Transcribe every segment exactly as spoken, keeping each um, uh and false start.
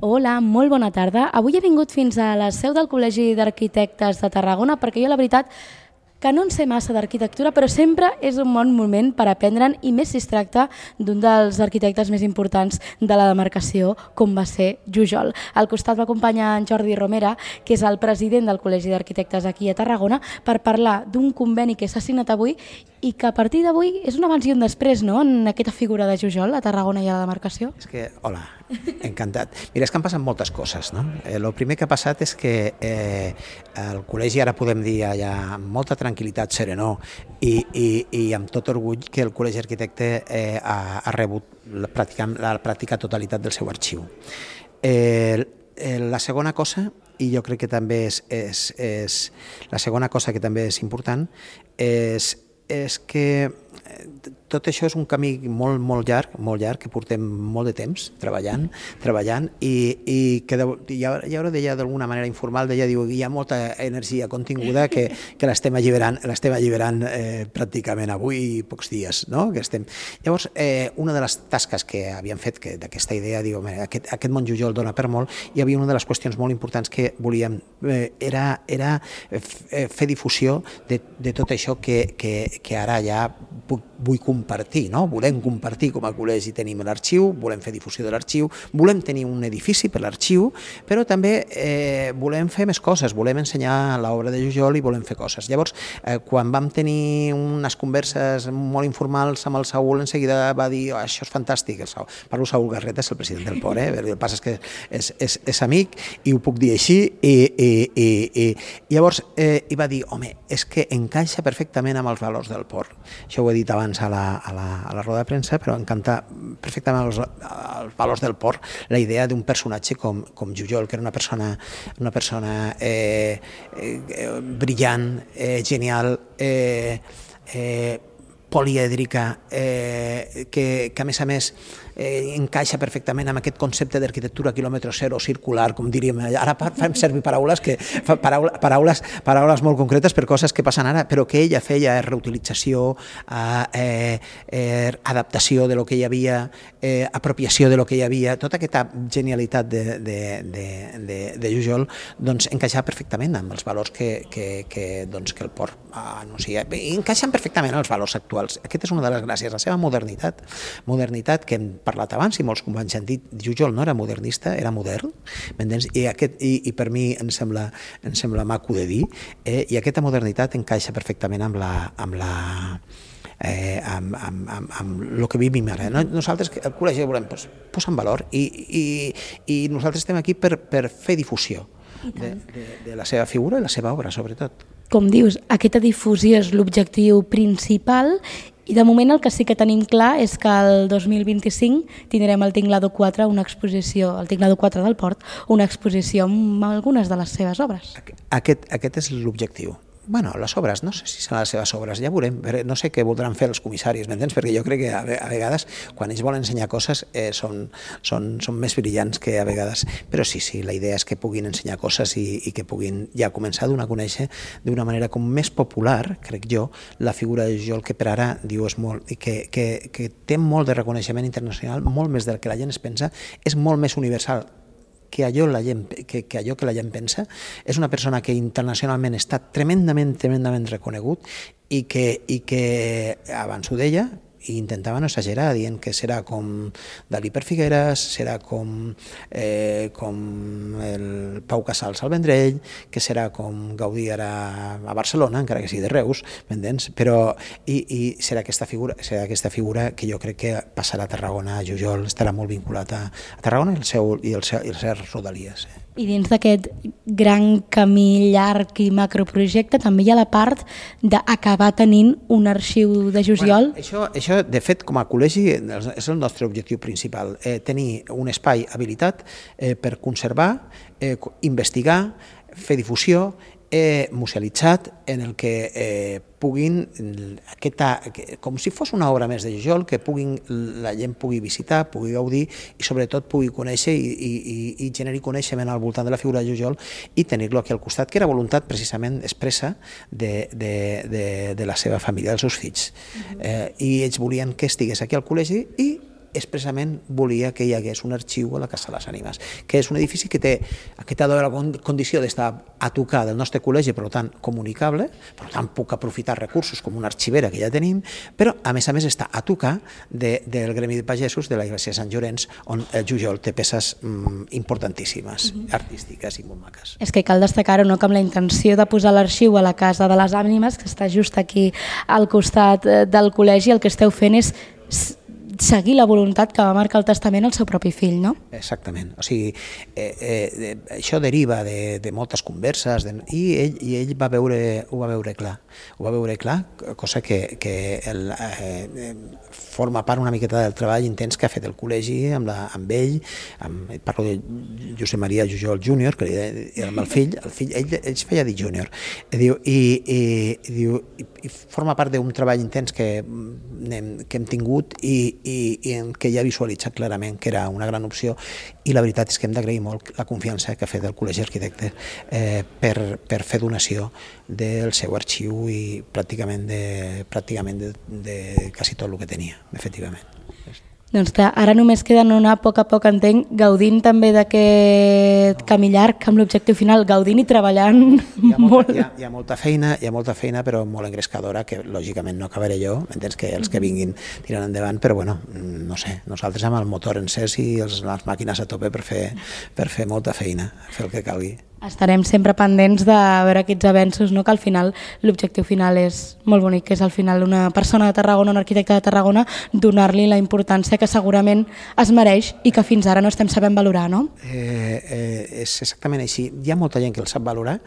Hola, molt bona tarda. Avui he vingut fins a la seu del Col·legi d'Arquitectes de Tarragona perquè jo la veritat que no en sé massa d'arquitectura, però sempre és un bon moment per aprendre'n, i més si es tracta d'un dels arquitectes més importants de la demarcació, com va ser Jujol. Al costat m'acompanya en Jordi Romera, que és el president del Col·legi d'Arquitectes aquí a Tarragona, per parlar d'un conveni que s'ha signat avui i que a partir d'avui és un abans i un després, no?, en aquesta figura de Jujol a Tarragona i a la demarcació. És que, hola, encantat. Mira, és que han passat moltes coses, no? El eh, primer que ha passat és que eh, el col·legi, ara podem dir ja amb molta tranquil·litat, serenor i, i, i amb tot orgull, que el Col·legi Arquitecte eh, ha, ha rebut la pràctica, la pràctica totalitat del seu arxiu. Eh, eh, la segona cosa, i jo crec que també és, és, és la segona cosa que també és important, és és que tot això és un camí molt, molt llarg, molt llarg, que portem molt de temps treballant, treballant i, i que Llaura deia d'alguna manera informal, deia, diu, hi ha molta energia continguda que, que l'estem alliberant, l'estem alliberant eh, pràcticament avui i pocs dies, no? Que estem... Llavors, eh, una de les tasques que havíem fet d'aquesta idea, diu, aquest, aquest món Jujol dona per molt, hi havia una de les qüestions molt importants que volíem, eh, era, era fer difusió de, de tot això que, que, que ara ja puc, vull compartir, no? Volem compartir com a col·legi, tenim l'arxiu, volem fer difusió de l'arxiu, volem tenir un edifici per l'arxiu, però també eh, volem fer més coses, volem ensenyar l'obra de Jujol i volem fer coses. Llavors, eh, quan vam tenir unes converses molt informals amb el Saúl, en seguida va dir, oh, això és fantàstic, el Saúl. Parlo Saúl Garreta, és el president del P O R, eh? El que passa és que és, és, és amic i ho puc dir així, i, i, i, i llavors eh, i va dir, home, és que encaixa perfectament amb els valors del P O R. Això ho he dit abans a la, a la, a la roda de premsa, però encanta perfectament els, els valors del P O R, la idea d'un personatge com, com Jujol, que era una persona, una persona eh, eh, brillant, eh, genial, eh, eh, polièdrica, eh, que, que a més a més eh, encaixa perfectament amb aquest concepte d'arquitectura quilòmetre zero circular, com diríem. Ara fem servir paraules, que, paraules, paraules, paraules molt concretes per coses que passen ara, però que ella feia reutilització, eh, eh, adaptació de lo que hi havia, eh, apropiació de lo que hi havia, tota aquesta genialitat de, de, de, de, de Jujol, doncs encaixa perfectament amb els valors que, que, que, doncs, que el P O R anuncia. Encaixen perfectament els valors actuals. Aquesta és una de les gràcies, la seva modernitat. Modernitat que hem parlat abans i molts companys han dit, Jujol no era modernista, era modern, i, aquest, i, i per mi em sembla, em sembla maco de dir, eh, i aquesta modernitat encaixa perfectament amb la... Amb la Eh, amb, amb, amb, amb el que vivim ara. Nosaltres, el col·legi, volem pues, posar en valor i, i, i nosaltres estem aquí per, per fer difusió de, de, de la seva figura i la seva obra, sobretot. Com dius, aquesta difusió és l'objectiu principal i de moment el que sí que tenim clar és que el dos mil vint-i-cinc tindrem al Tinglado quatre una exposició, al Tinglado quatre del Port, una exposició amb algunes de les seves obres. Aquest, aquest és l'objectiu. Bueno, les obres, no sé si seran les seves obres, ja veurem, no sé què voldran fer els comissaris, m'entens? Perquè jo crec que a vegades, quan ells volen ensenyar coses, eh, són, són, són més brillants que a vegades, però sí, sí, la idea és que puguin ensenyar coses i, i que puguin ja començar a donar a conèixer d'una manera com més popular, crec jo, la figura de Jujol, que per ara, diu, és molt, i que, que, que té molt de reconeixement internacional, molt més del que la gent es pensa, és molt més universal que allò, la gent, que, que allò que la gent pensa. És una persona que internacionalment està tremendament, tremendament reconegut i que, i que abans ho deia, i intentava no exagerar, dient que serà com Dalí per Figueres, serà com, eh, com el Pau Casals al Vendrell, que serà com Gaudí ara a Barcelona, encara que sigui de Reus, m'entens? Però, i, i serà aquesta figura, serà aquesta figura que jo crec que passarà a Tarragona, a Jujol, estarà molt vinculat a, a Tarragona i el seu, i el seu, i les seves rodalies. Eh? I dins d'aquest gran camí llarg i macroprojecte també hi ha la part d'acabar tenint un arxiu de Jujol. Bueno, això, això, de fet, com a col·legi és el nostre objectiu principal, eh, tenir un espai habilitat eh, per conservar, eh, investigar, fer difusió, eh, musealitzat, en el que eh, puguin, aquesta, com si fos una obra més de Jujol, que puguin, la gent pugui visitar, pugui gaudir i sobretot pugui conèixer i, i, i generar coneixement al voltant de la figura de Jujol i tenir-lo aquí al costat, que era voluntat precisament expressa de, de, de, de la seva família, dels seus fills. Uh-huh. eh, I ells volien que estigués aquí al col·legi i expressament volia que hi hagués un arxiu a la Casa de les Ànimes, que és un edifici que té aquesta la condició d'estar a tocar del nostre col·legi, per tant, comunicable, per tant, puc aprofitar recursos com una arxivera que ja tenim, però, a més a més, està a tocar de, del Gremi de Pagesos de la Iglesia de Sant Llorenç, on el Jujol té peces mm, importantíssimes, mm-hmm. artístiques i molt maques. És que cal destacar-ho, no?, que amb la intenció de posar l'arxiu a la Casa de les Ànimes, que està just aquí al costat del col·legi, el que esteu fent és seguir la voluntat que va marcar el testament al seu propi fill, no? Exactament. O sigui, eh, eh, això deriva de, de moltes converses de, i, ell, i ell va veure, ho va veure clar. Ho va veure clar, cosa que, que el, eh, forma part una miqueta del treball intens que ha fet el col·legi amb, la, amb ell, amb, parlo de Josep Maria Jujol júnior, que era amb el fill, el fill ell, ell es feia dir júnior, i, i, i, i, i forma part d'un treball intens que, que hem tingut i, i, i en què ja ha visualitzat clarament que era una gran opció, i la veritat és que hem d'agrair molt la confiança que ha fet el Col·legi Arquitectes eh, per, per fer donació del seu arxiu i pràcticament de, pràcticament de, de quasi tot el que tenia, efectivament. Doncs clar, ara només queda anar a poc a poc, entenc, gaudint també d'aquest camí llarg amb l'objectiu final, gaudint i treballant hi ha molta, molt. Hi ha, hi ha molta feina, hi ha molta feina, però molt engrescadora, que lògicament no acabaré jo, m'entens, que els que vinguin tirant endavant, però bueno, no sé, nosaltres amb el motor encès i els, les màquines a tope per fer, per fer molta feina, fer el que calgui. Estarem sempre pendents de veure aquests avenços, no? Que al final l'objectiu final és molt bonic, que és al final una persona de Tarragona, un arquitecte de Tarragona, donar-li la importància que segurament es mereix i que fins ara no estem sabent valorar, no? Eh, eh, és exactament així. Hi ha molta gent que el sap valorar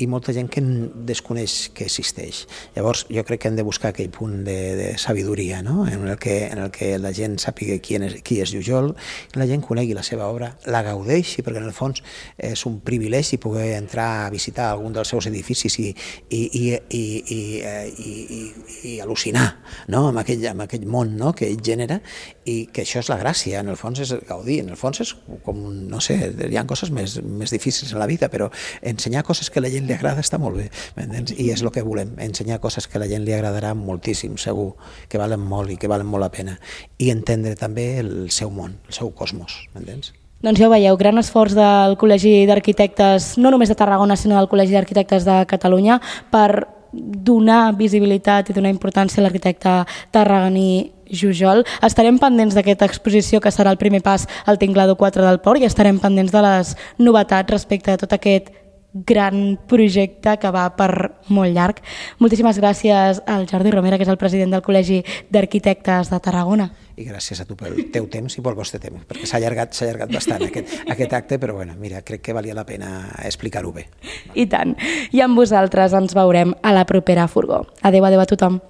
i molta gent que desconeix que existeix. Llavors jo crec que hem de buscar aquell punt de, de sabidoria, no? En el que, en el que la gent sàpiga qui és, qui és Jujol, la gent conegui la seva obra, la gaudeixi, perquè en el fons és un privilegi poder entrar a visitar algun dels seus edificis i, i, i, i, i, i, i, i al·lucinar, no? amb, aquell, amb aquell món, no? Que ell genera, i que això és la gràcia, en el fons és gaudir, en el fons és com, no sé, hi ha coses més, més difícils en la vida, però ensenyar coses que a la gent li agrada està molt bé, m'entens? I és el que volem, ensenyar coses que a la gent li agradarà moltíssim, segur, que valen molt i que valen molt la pena, i entendre també el seu món, el seu cosmos, m'entens? Doncs ja ho veieu, gran esforç del Col·legi d'Arquitectes, no només de Tarragona, sinó del Col·legi d'Arquitectes de Catalunya, per donar visibilitat i donar importància a l'arquitecte tarragoní Jujol. Estarem pendents d'aquesta exposició que serà el primer pas al Tinglado quatre del Port i estarem pendents de les novetats respecte a tot aquest gran projecte que va per molt llarg. Moltíssimes gràcies al Jordi Romera, que és el president del Col·legi d'Arquitectes de Tarragona. I gràcies a tu pel teu temps i pel vostre temps, perquè s'ha allargat, s'ha allargat bastant aquest, aquest acte, però bueno, mira, crec que valia la pena explicar-ho bé. I tant. I amb vosaltres ens veurem a la propera furgó. Adéu, adéu a tothom.